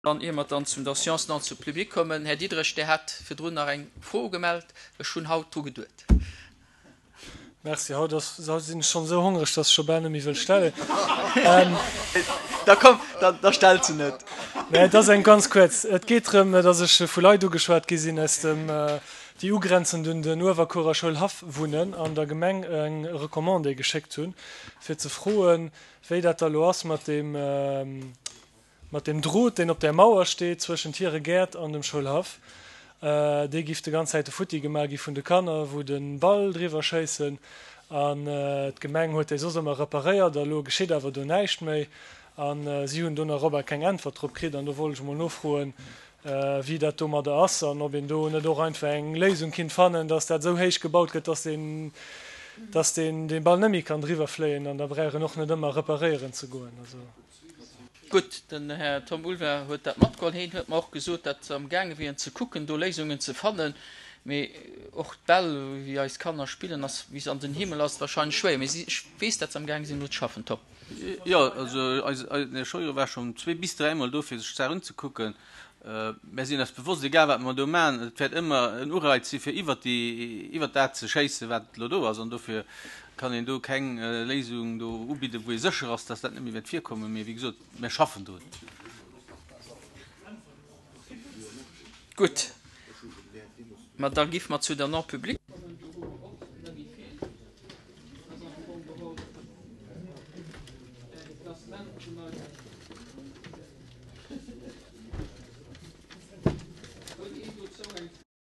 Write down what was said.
Dann, ier mer dann zum der Science non zum Public kommen, Här Diderich, Dir hat virdrun nach eng Fro ugemellt. Ech hunn haut dru geduet. Merci. Haut ass, haut sinn ech schonn esou hongreg, dass ech scho bal net méi wëll stellen. Da komm, da, da stell se net. Mä et ass eng ganz kuerz. Et geet drëm, dass ech vu Leit ugeschwat gi sinn aus dem, déi ugrenzend un den Uewerkuerer Schoulhaff wunnen an der Gemeng eng Recommandé geschéckt hunn, fir ze froen, wéi dat da lo ass mat deem, Mat deem Drot, deen op där Mauer steet zwëschent hire Gäert an dem Schoulhaff, dee giff de ganz Zäite futti gemaach gi vun de Kanner, wou de Ball driwwer schéissen. An d'Gemeng huet déi soss ëmmer reparéiert a lo geschitt awer do näischt méi. A si hunn do nach op a keng Äntwert drop kritt. An do wollt ech emol nofroen, wéi dat domadder ass an ob een do net och einfach eng Léisung kinnt fannen, dass dat esou héich gebaut gëtt, dass deen, dass deen dee Ball net méi kann driwwer fléien an da brauch een och net ëmmer reparéieren ze goen. Also. Gutt, den Här Tom Ulver huet dat matgeholl. Heen huet mer och gesot, datt se amgaange wieren ze kucken, do Léisungen ze fannen. Mee och d'Bäll, wéi eis Kanner spillen, ass wéi se an den Himmel ass et wahrscheinlech schwéier. Mee si, ech weess, datt se amgaange sinn, do ze schaffen. Tom. Jo, also eis, den Här Scheuer war schonn zwee bis dräimol do, fir sech d'Saach unzekucken. Mär sinn eis bewosst, egal wat mer do maachen, et wäert ëmmer en Ureiz si fir iwwert déi, iwwert dat ze schéissen, wat elo do ass. An dofir kann een do keng Léisung do ubidden, wou ee sécher ass, dass dat net méi wäert virkommen. Mee wéi gesot, mär schaffen drun. Gutt, ma da gi mer zu der Non-publique.